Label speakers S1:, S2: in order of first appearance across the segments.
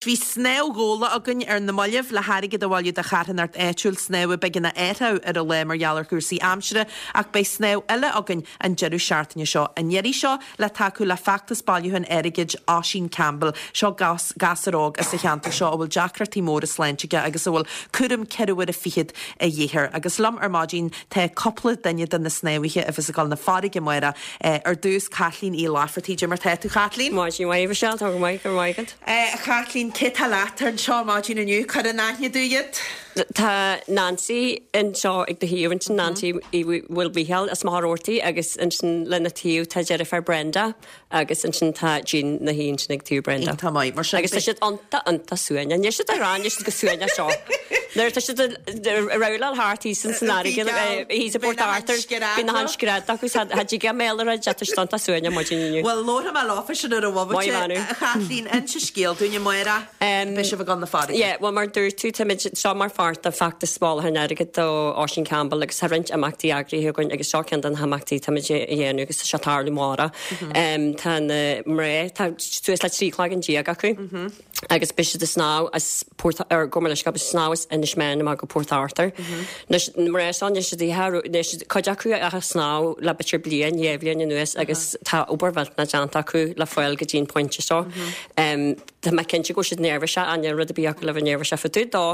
S1: Bhí snámh gabhála againn ar na mallaibh le hairgead a bhailiú do charthanacht áitiúil, snámh a b'éigean a athrú ar an lá mar gheall ar chúrsaí aimsire, ach beidh snámh eile againn an deireadh seachtaine seo, an iarraidh seo le tacú le feachtas bailiúcháin airgid Oisín Campbell. Seo gasúr óg as an cheantar seo a bhfuil deacrachtaí móra sláinte aige agus a bhfuil cúram ceithre huaire fichead a dhíth air. Agus liom ar maidin tá cúpla duine de na snámhaithe a bheas ag dul na farraige amárach. Ar dtús, Caitlín Uí Laifeartaigh. Cad é mar tá tú, Chaitlín?
S2: Maidin mhaith, a Mhichelle, tá go maith, go raibh maith agat.
S1: A Chaitlín, cé tá leat anseo ar maidin inniu? Cuir in aithne dúinn iad.
S2: Tá Nancy anseo ag do thaobh ansin, Nancy Uí Mhaoilmhíchíl as Machaire Rabhartaigh agus ansin lena taobh tá a deirfiúr Brenda agus ansin tá Jean 'na shuí ansin ag taobh Brenda.
S1: Iontach maith, mar sin.
S2: Agus tá siad iontach, iontach suaimhneach. Níl siad ag rá, níl siad chomh suaimhneach seo. Nuair atá siad ag rabhláil thart thíos san fharraige, thíos i bPort Arthur, bíonn achan scread acu, cha dtig a mbéal a rá, tá siad iontach suaimhneach maidin inniu.
S1: Bhuel, labharfaidh mé leofa sin ar an bhomaite.
S2: Maith bhean
S1: A Chaitlín, inse scéal dúinn, amárach, beidh sibh ag dul na farraige.
S2: Yeah, bhuel mar a dúirt tú, táimid seo mar pháirt de feachtas bailiúcháin airgid do Oisín Campbell agus tá roinnt imeachtaí eagraithe againn agus seo ceann de na himeachtaí táimid a dhéanamh agus tá sé ag tarlú amárach. Tá na mná, tá suas le 13 cloigeann acu. agus beidh siad ag snámh as Port, ar gabh mo leithscéal, beidh siad ag snámh as Inis Meáin amach go Port Arthur. Anois, na mná seo, níl siad ach, níl siad, cuid acu ach ag snámh le b'fhéidir bliain, dhá bhliain anuas agus tá obair mhillteanach déanta acu le fáil go dtí an pointe seo. Tá mé cinnte go bhfuil siad neirbhíseach, ach níl rud ar bith acu le bheith neirbhíseach fá dtaobh dó.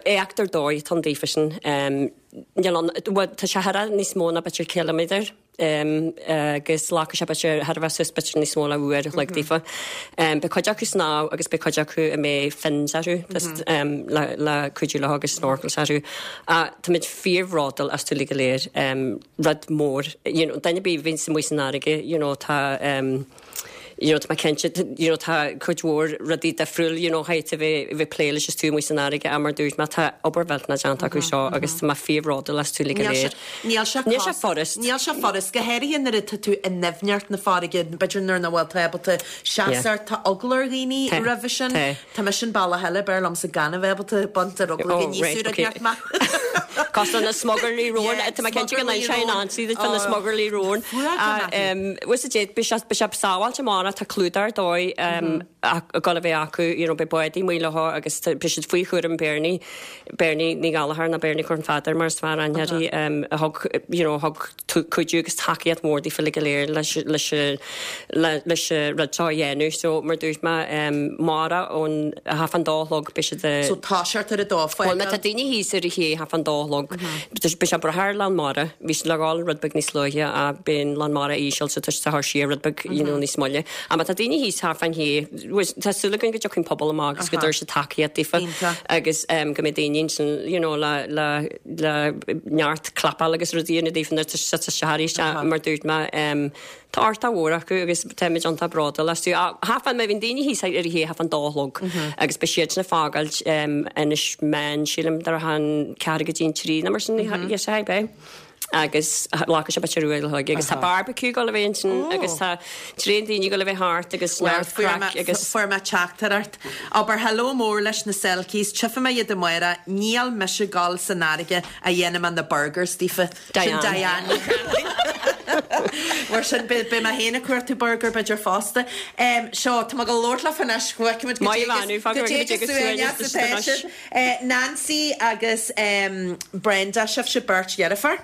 S2: Éacht ar dóigh atá ann daofa sin. Níl ann, bhuel, tá sé thar níos mó ná b'fhéidir ciliméadar. agus glacfaidh sé b'fhéidir thar a bheith suas b'fhéidir níos mó ná uair a chloig daofa. Beidh cuid acu ag snámh agus beidh cuid acu a mbeidh fins orthu le le cuidiú leo agus snorkels orthu. Táimid fíorbhródúil astu uilig go léir. Rud mór, you know, duine ar bith a bhíonns amuigh san fharraige, you know, tá you know, tá mé cinnte, you know, tá cuid mhór rudaí difriúil, you know, chaithfidh tú a bheith, a bheith ag plé leis is tú amuigh san fharraige ach mar dúirt mé, tá obair mhillteanach déanta acu seo agus tá mé fíorbhródúil astu uilig go léir.
S1: Níl sé
S2: Níl sé furast.
S1: Níl sé furast, go háirithe nuair atá tú i ndoimhneacht na farraige, b'fhéidir nuair nach bhfuil tú ábalta seasamh ort, tá eagla ar dhaoine roimhe sin. Tá mise an bealach eile, b'fhearr liomsa gan a bheith ábalta baint ar eagla go n-íosfaidh rud inteacht mé.
S2: Cosúil na smugairlí róin, tá mé cinnte go n-inseoidh Nancy duit fá na smugairlí róin. Bhuel sa dé, beidh sé, beidh sé sábháilte amárach, tá clúdach ar dóigh ag dul a bheith acu, you know, beidh bádaí amuigh leo agus beidh siad faoi chúram Bernie, Bernie Ní Ghallchóir nó Bernie Chorn Pheadair mar is fearr aithne uirthi, a thug, you know, a thug cuidiú agus tacaíocht mhór daofa uilig go léir leis, leis, leis an rud seo a dhéanamh. So, mar dúirt mé, amárach ón half an dó a chlog beidh siad
S1: So toiseacht ar a dó,
S2: Bhuel, má tá daoine thíos ar a ché half an dó a chlog, beidh sé breithe ar lán mara. Bhí siad le dhul rud beag níos luaithe ach beidh an lán mara íseal so tá siad a chur siar rud beag, you know, níos moille. Ach má tá daoine thíos half an shé, tá súil againn go dtiocfaidh an pobal amach agus go dtabharfaidh siad tacaíocht daofa agus go mbeidh daoine ansin, you know, le, le, le neart clapáil agus rudaí a dhéanamh daofa nuair atá siad isteach arís mar dúirt mé tá ardá mhór acu agus táimid iontach bródúil astu. Half an, má bhíonn daoine thíos ar a shé half an dó a chlog agus beidh siadsan ag fágáilt Inis Meáin sílim de réir an ceathrú go dtí an trí nó mar sin yes I beidh. agus glacfaidh sé b'fhéidir uair a chloig agus tá barbecue ag dul a bheith ansin agus tá tréan daoine ag dul a bheith thart agus neart craic agus.
S1: Fuair mé teachtaireacht. Abair hello mór leis na Selkies, tchífidh mé iad amárach, níl mise ag dul san fharraige ach dhéanfaidh mé na burgers daofa. Sin Diane Ní Cheallaigh. Mar sin beidh mé féin ag cuartú burger b'fhéidir fosta. Seo, tá mé ag labhairt leofa anois, go bhfeicfimid
S2: goidé
S1: chomh suaimhneach is atá siad. Nancy agus Brenda, sibhse beirt dheirfiúr.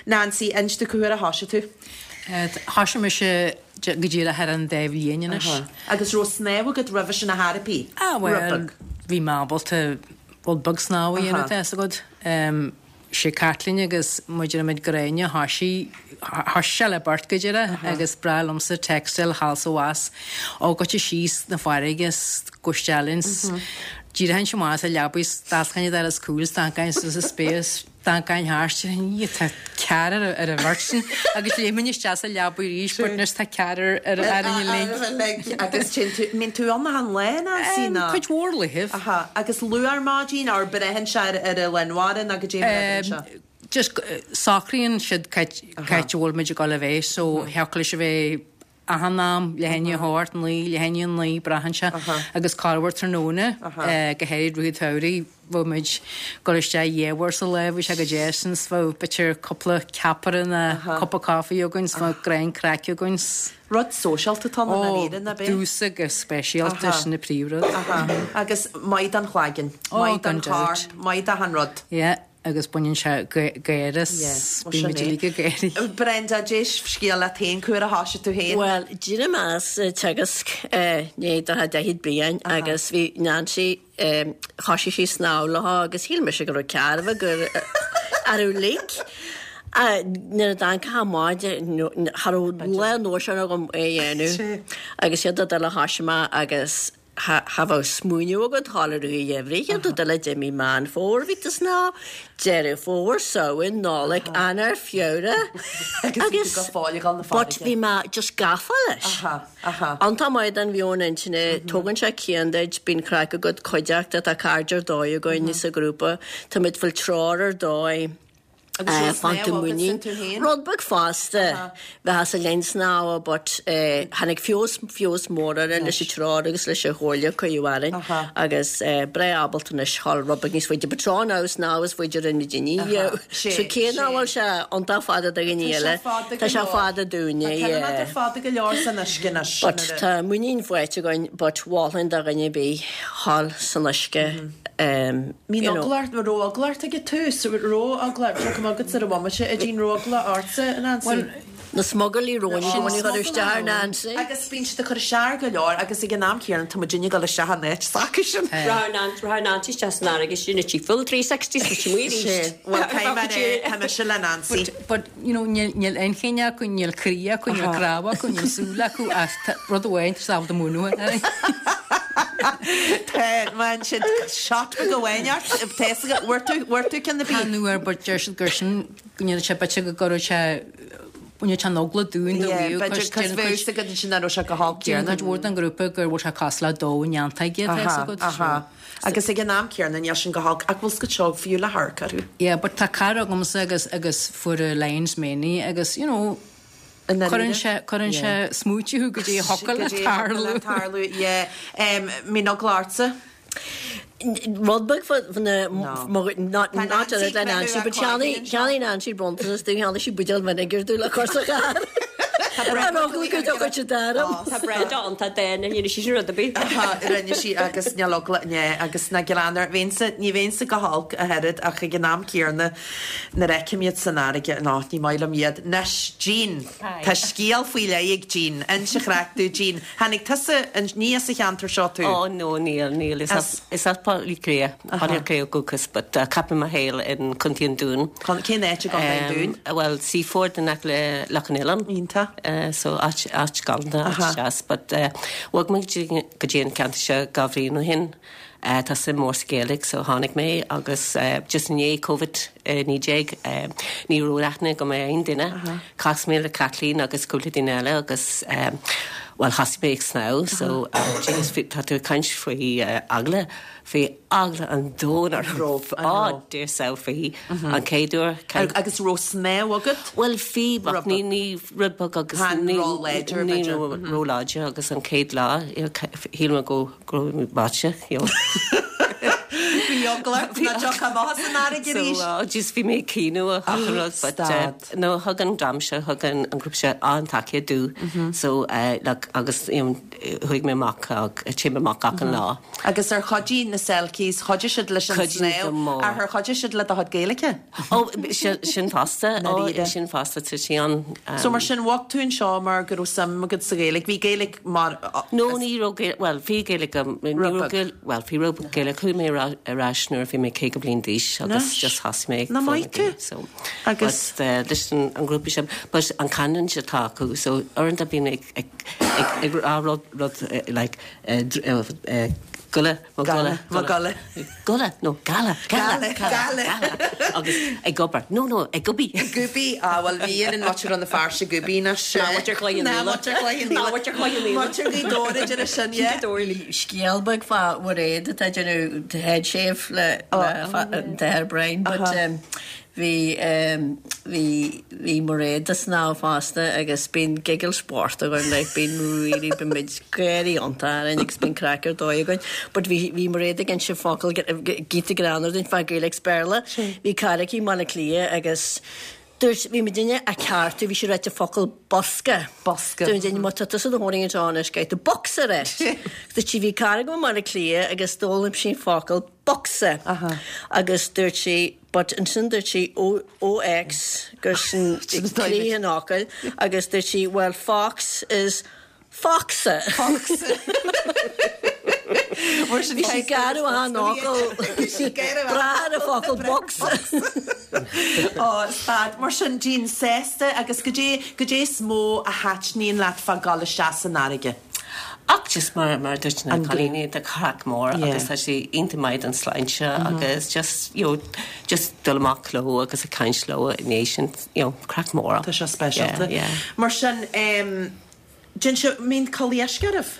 S1: Nancy, inis domh cá huair a thoisigh tú?
S3: Thoisigh mise go díreach ar an dá bhliain anois.
S1: Agus raibh snámh agat roimhe sin ar chor ar bith?
S3: Ah bhuel, bhí mé ábalta rud beag snámh a dhéanamh, tá fhios agat. sé Caitlín agus muid ar muid Gráinne thoisigh, thoisigh sé le beirt go díreach agus ba bhreá liomsa textáil thall 's abhus ó goitse síos na farraige 's gabh isteach linn 's d'éireochainnse amach as an leabaidh 's d'fháscainn an doras cúil 's d'amharcainn suas sa spéir 's d'amharcainn thart tá ceathrar ar an bheirt sin agus léimfinn isteach sa leabaidh arís but anois tá ceathrar ar an
S1: uilig. Agus téann tú, mbíonn tú ann achan lá, Nancy, nó?
S3: Cuid mhór laethibh.
S1: Aha. Agus luath ar maidin, or braitheann sé ar ar an lán mara nó goidé mar a bhíonn sé?
S3: Just socraíonn siad cá háit a bhfuil muid ag dul a bheith so thiocfadh leis a bheith. Achan am, leath i ndiaidh a hocht, 9, leath i ndiaidh a 9, braitheann sé, agus corruair tráthnóna, go háirid i rith an tsamhraidh, bheadh muid ag dul isteach dhá uair sa lá, bhí sé go deas sin 's bheadh b'fhéidir cúpla ceapaire nó cupa caife againn 's bheadh greim craic againn 's.
S1: Rud sóisialta atá ann i ndáiríre, ná b'é?
S3: Ó, domhsa go speisialta, sin an príomhrud.
S1: Agus maith don chlaigeann, maith don chorp, maith d'achan rud.
S3: Yeah. agus baineann sé gáire as, bíonn muid uilig ag gáirí.
S1: Brenda, dé scéal leat féin, cá huair a thoisigh tú féin?
S4: Bhuel, d'éirigh mé as Teagasc ní do 40 bliain agus bhí Nancy, thoisigh sí snámh leo agus shíl mise go raibh cearrbhach gur ar uilig. Nuair a d'amharc amach cha raibh lá nóisean agam é a dhéanamh agus iad a dul a thoisigh mé agus Cha bheadh smaoineamh agat dhul i rith an gheimhridh, shíl tú dul i mí Meán Fómhair, bhí tú snámh, Deireadh Fómhair, Samhain, Nollaig, Eanáir, Feabhra
S1: agus go fóill ag dul na
S4: but bhí mé just gafa leis. Iontach maith don mheon intinne, tógann sé cian duit, bíonn craic agat, cuideachta, tá cairde ar dóigh againn sa ghrúpa, táimid ag fáil treoir ar dóigh.
S1: Agus raibh snámh agat sin tú féin?
S4: Rud beag fosta, bheith sa linn snámha but tháinig feabhas, feabhas mór air leis an treoir agus leis an chomhairle a cuireadh orainn agus breá ábalta anois dhul rud beag níos faide but tráth ná snámh is faide rinne daoine so cé nach bhfuil sé iontach fada do dhaoine eile, tá sé fada dúinne,
S1: Tá ciliméadar fada go leor san uisce anois.
S4: But tá muinín faighte againn but mholfainn do dhuine ar bith dhul san uisce.
S1: Bhí an eagla ort, raibh eagla ort ag an tús, raibh eagla, seo cuma agatsa ar an bhomaite, a Jean, raibh eagla ortsa, a Nancy?
S4: Bhuel, na smugairlí róin i gcónaí ag cur isteach ar Nancy.
S1: Agus bíonn siad ag cur isteach go leor agus ag an am céanna tá muidinne ag dul isteach in áit s'acusan.
S2: Rachaidh Nancy isteach san fharraige sin a full 360 's muid amuigh arís.
S1: Bhuel, caithfidh mé a rá, tá mise le Nancy.
S3: But, you know, níl inchinn acu, níl croí acu, níl cnámh acu, níl súil acu ach tá rud amháin, tá siad ábalta múnú orainn.
S1: Tá, bhain siad shot beag amháin ort, tá fhios agat, bhfuair tú, bhfuair tú ceann ar bith?
S3: Chan fhuair, but deir siad gur sin, go ndéanann sé b'fhéidir go gcuirfeadh sé, baineann sé an eagla dúinn do
S1: Yeah,
S3: bhíodh,
S1: b'fhéidir,
S3: cos
S1: cos
S3: déanann
S1: bheadh
S3: cuid,
S1: fhios agat ansin nach raibh sé go holc
S3: déanann
S1: céanna.
S3: cuid mhór den ghrúpa go bhfuil sé cosúil le damh neantóige, tá fhios
S1: Aha,
S3: agat,
S1: aha.
S3: so.
S1: Agus ag an am céanna níl sin go holc ach bhfuil fhios agat seo fiú le hamharc orthu.
S3: Yeah but tá cara agamsa agus agus fuair Lion's Mane agus you know
S1: I ndáiríre?
S3: cuireann sé cuireann sé smaoitiú thú goidé a thiocfadh le
S1: Goidé a thiocfadh le
S3: tarlú.
S1: tarlú yeah. Em mbíonn eagla ortsa?
S4: Rud beag fá na
S1: No.
S4: not
S1: Tá
S4: not
S1: Nancy
S4: le Nancy
S1: creidimh
S4: but cheannaigh cheannaigh Nancy bronntanas dúinn cheannaigh sí buidéal vinegar dúinn le cur sa charr.
S1: Tá
S4: Ar eagla go dtiocfadh siad orm.
S2: Tá Brenda iontach dána, ní rinne sí sin rud ar bith.
S1: Rinne sí agus níl eagla né agus ná gearán air. Bheinnse, ní bheinnse go holc ach oiread ach ag an am céanna nuair a fheicim iad san fharraige, no, ní maith liom iad. Anois, Jean, tá scéal faoi leith ag Jean. Inis an chraic dúinn, Jean. Tháinig tusa, ní as an cheantar seo tú?
S5: Ó, no, níl, níl. Is as, is as Baile Átha Cliath, Baile Átha Cliath ó dhúchas, but chaith mé mo shaol in Contae an Dúin.
S1: Cén áit i gContae an Dúin?
S5: Bhuel, Seaford in aice le Loch an Oileáin.
S1: Iontach.
S5: So áit, áit galánta, áit deas, but bhog mé go dtí an ceantar seo dhá bhliain ó shin. Tá suim mór sa Ghaeilge so tháinig mé agus just i ndiaidh Covid 19 ní raibh aithne agam ar aon duine. Chas mé le Caitlín agus cúpla duine eile agus bhuel thosaigh mé ag snámh so Jesus tá tú ag caint faoi eagla, bhí eagla an domhain orm. Á Dia faoi an chéad uair.
S1: Agus raibh snámh agat?
S5: Bhuel bhí but ní ní rud beag agus ní
S1: ní
S5: ró-láidir agus an chéad lá shíl mé go Go raibh mé báite, you know.
S1: Bhí eagla ort nach dtiocfá amach as an fharraige arís.
S5: So, just bhí mé ag caoineadh achan rud but
S1: Stad.
S5: no thug an dream seo, thug an grúpa seo an-tacaíocht domh. So, like agus you know chuaigh mé amach, téim amach achan lá.
S1: Agus ar chuidigh na Selkies, chuidigh siad leis an
S5: Chuidigh go
S1: snámh
S5: mór.
S1: ach ar chuidigh siad le do chuid Gaeilge?
S5: Ó, sin fosta, ó,
S1: Ndáiríre.
S5: sin fosta, tá sí an.
S1: So mar sin, bhog tú anseo mar go raibh suim agat sa Ghaeilge. Bhí Gaeilge mar.
S5: No, ní raibh Gaeilge, bhuel, bhí Gaeilge agam, ní
S1: Rud
S5: raibh
S1: beag.
S5: Gaeilge, bhuel, bhí rud beag Gaeilge. Chuaigh mé ar ais nuair a bhí mé 50 bliain d'aois agus
S1: Anois.
S5: just thosaigh mé ag
S1: Nach
S5: foghlaim
S1: maith tú.
S5: Gaeilge, so.
S1: Agus.
S5: But, eh, leis an an grúpa sin, but an canúint atá acu, so uaireanta bím ag, ag, ag, ag rá rud, rud, eh, like, eh, eh, eh, Gula, mo
S1: Gala,
S5: gula,
S1: mo gula.
S5: Gula, no, gala, gala,
S1: Gala,
S5: gala,
S1: gala.
S5: gala. Agus ag obair, no, no, ag obair.
S1: Gubi, ah, bhuel bhí ar an muintir Rann na Feirste Gubi anois.
S2: Ná muintir Chloich Cheann
S1: Ná
S2: Fhaola.
S1: muintir Chloich Cheann
S2: Ná
S1: Fhaola.
S2: muintir Chloich Cheann Fhaola.
S1: Muintir Ghaoth Dobhair a deir sin, yeah.
S4: Scéal beag fá Mhairéad atá ag déanamh head shave le le an t-athair Brian but um, bhí. Bhí, bhí, bhí Mairéad ag snámh fosta agus bíonn giggle sport againn like bíonn really bíonn muid gáirí iontach orainn agus bíonn craic ar dóigh againn. But bhí, bhí Mairéad ag inse focal giota greannmhar dúinn fá Gaeilge 's Béarla. Bhí cara aici i mBaile Átha Cliath agus dúirt, bhí muidinne á ceartú, bhí sí ag ráit an focal bosca.
S1: Bosca.
S4: Dúirt muidinne má tá tusa i do chónaí anseo anois caithfidh tú bocsa a ráit. Dúirt sí bhí cara agam i mBaile Átha Cliath agus d'fhoghlaim sí an focal bocsa agus dúirt sí but ansin dúirt sí OX gur sin croí an fhocail agus dúirt sí well fox is foxa.
S1: Foxa.
S4: Bhí sí garbh an fhocal breá ar an focal bocsa.
S1: Ó, stad. Mar sin, Jean, sásta agus goidé, goidé is mó a thaitníonn leat fá dhul isteach san fharraige?
S5: Ach just mar mar a dúirt na cailíní tá craic mór agus tá sé iontach maith don sláinte agus just you know just dul amach leo agus ag caint leo i ndiaidh sin you know craic mór.
S1: Tá sé speisialta.
S5: Yeah, yeah.
S1: Mar sin em déan sibh, mbíonn culaith uisce oraibh?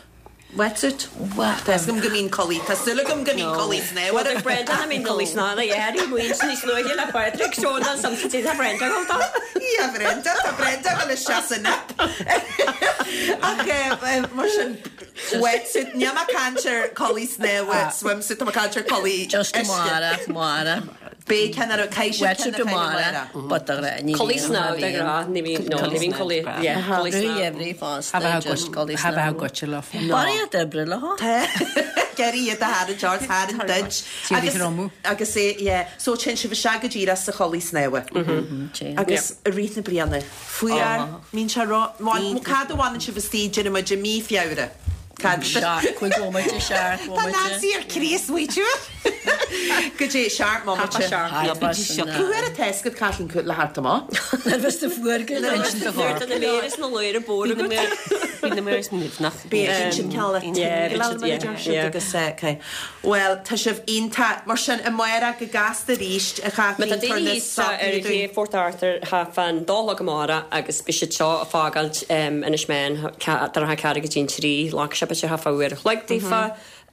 S1: Wetsuit? Tá 'fhios agam go mbíonn culaith, tá súil agam go mbíonn culaith snámha oraibh.
S2: Bhuel Brenda cha mbíonn culaith snámha yeah bhí muid níos luaithe le Pádraig so ná some tá Brenda ag dul dó.
S1: Yeah Brenda, tá Brenda ag dul isteach san ip. Ach mar sin wetsuit, níl mé ag caint ar culaith snámha, swimsuit, tá mé ag caint ar culaith
S4: Just
S1: uisce.
S4: amárach, amárach.
S1: Beidh ceann ar caithfidh sibh
S4: Wetsuit
S1: ceann a chaitheamh
S4: amárach, but de ghnáth ní
S2: Culaith
S4: bhíonn,
S2: snámha de ghnáth, ní bhíonn, no, ní bhíonn culaith, yeah, culaith snámha.
S4: Rúidheimhrí fosta, just culaith snámha.
S3: Goitse leo.
S4: Barraíocht oibre leo.
S1: Tá. Gary iad a tharraingt ort, tharraingt duit.
S3: Agus,
S1: agus é, yeah. So téann sibh isteach go díreach sa chulaith snámha. Agus i rith na bliana. Fuar, mbíonn sé ró, bhuel, cad a bhaineann sibh istigh, déarfaidh muid i mí Feabhra? Cad?
S4: Seacht, cúig bhomaite, seacht
S1: Tá
S4: bhomaite.
S1: Nancy ar cíos uait. Goidé, seacht mbomaite. Cá huair atá fhios agat Caitlín le theacht amach?
S4: Nuair bheas tú fuar go leor.
S2: Nuair atá na méara is na laoire bodhar agat.
S5: Bíonn na méara nimhneach.
S1: Bíonn siad cineál le tingeall mar a deir siad agus okay. Bhuel, tá sibh iontach. Mar sin, amárach go gasta arís, a
S2: Má
S1: Chaitlín,
S2: tá
S1: tabhair
S2: daoine
S1: na
S2: thíos ar
S1: socruithe
S2: ché
S1: dúinn.
S2: Phort Arthur thart fán dó a chlog amárach agus beidh siad seo ag fágáilt Inis Meáin idir a ceathair go dtí an trí, glacfaidh sé b'fhéidir thart fá uair a chloig daofa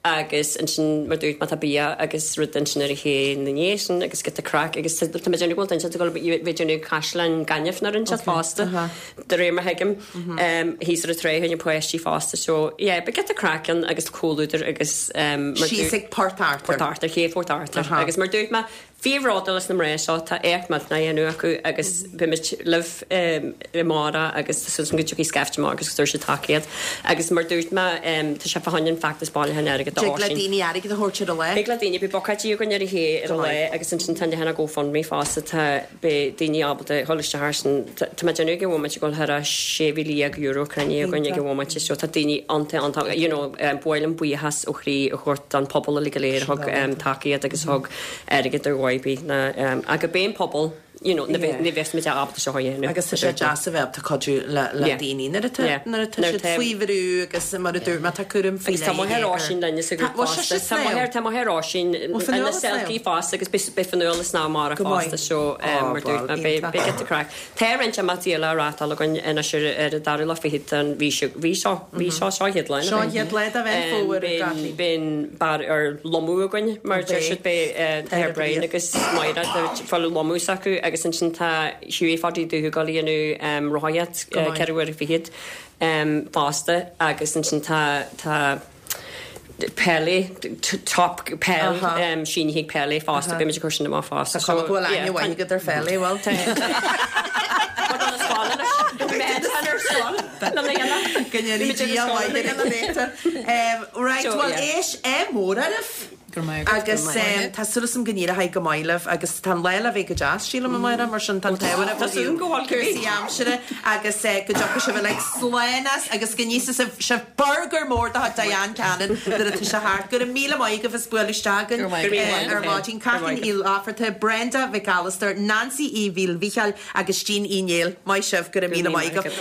S2: agus ansin mar dúirt má tá bia agus rud ansin ar an ché ina ndiaidh sin agus giota craic agus tá mé ag déanamh go bhfuil duine ag dul bheith ag déanamh caisleáin gainimh nó rud inteacht fosta de réir mar thuigim thíos ar an trá chuig na páistí fosta so yeah beidh giota craic ann agus comhluadar agus mar
S1: Síos ag Port Arthur.
S2: Port Arthur, ché Phort Arthur agus mar dúirt mé Fíorbhródúil as na mná seo, tá éacht millteanach á dhéanamh acu agus beimid libh amárach agus tá súil agam go dtiocfaidh scaifte amach agus go dtabharfaidh siad tacaíocht. Agus mar dúirt mé, tá sé fá choinne an feachtas bailithe airgid do
S1: Dtig le
S2: Oisín.
S1: daoine airgead a thabhairt ar an lá.
S2: Thig le daoine, beidh bucáidí againn ar an ché ar an lá agus ansin tá an leathanach GoFundMe fosta, tá, beidh daoine ábalta dhul isteach air sin. Tá mé ag déanamh ag an bhomaite go bhfuil thar €16,000 cruinnithe againn ag an bhomaite so tá daoine iontach, iontach, you know, ba mhaith liom buíochas ó chroí a thabhairt don phobal uilig go léir a thug tacaíocht agus a thug airgead ar dhóigh ar bith ná ach gurb é an pobal you know ní bheadh ní bheadh muid ábalta seo a dhéanamh.
S1: Agus tá sé deas a bheith ábalta cuidiú le le daoine nuair atá nuair atá siad faoi bhrú agus mar a dúirt mé tá cúram faoi
S2: Agus tá
S1: leith
S2: máthair
S1: ar
S2: Oisín linn sa
S1: Tá
S2: ghrúpa
S1: bhfuil sise
S2: fosta. Tá máthair tá máthair Oisín
S1: Bhfuil
S2: ina
S1: Fionnuala ag snámh?
S2: selkie fosta agus beidh beidh Fionnuala ag snámh amárach
S1: Go maith.
S2: fosta so
S1: Ó
S2: mar dúirt
S1: bhuel
S2: mé beidh
S1: iontach.
S2: beidh giota craic. Tá roinnt imeachtaí eile á reáchtáil againn anois ar ar an dara lá fichead den mhí seo mhí seo mhí seo seo an chéad lá
S1: Seo an chéad lá de Mheán Fómhair a Chaitlín.
S2: Beidh an barr ar lomadh againn mar deir siad beidh tá Brian agus Máire fáil lomadh s'acu agus ansin tá Hughie Pháidí Dubhthaigh ag dul a dhéanamh rothaíocht 24 uair fosta agus ansin tá tá Pele top peil sínithe ag Pele fosta beidh muid ag cur sin amach fosta.
S1: Tá cuma go bhfuil aithne mhaith agat ar Phele, bhfuil? Go ndéanaí Dia maith ar an réiteach. Right, bhuel éist, ádh mór oraibh.
S3: Go raibh maith agat.
S1: Agus tá súil agam go n-éireoidh go maith libh agus tá an lá le bheith go deas, sílim, a Mháire, mar sin tá an t-ádh oraibh ó thaobh cúrsaí aimsire agus go dtiocfaidh sibh uilig slán as agus go n-íosfaidh sibh burgar mór de chuid Diane Cannon nuair atá sé thart. Go raibh míle maith agaibh as bualadh isteach againn ar maidin. Caitlín Uí Fhlatharta, Brenda Mhic Alastair, Nancy Uí Mhíl Mhícheáil agus Jean Uí Néill. Maith sibh, go raibh míle maith agaibh.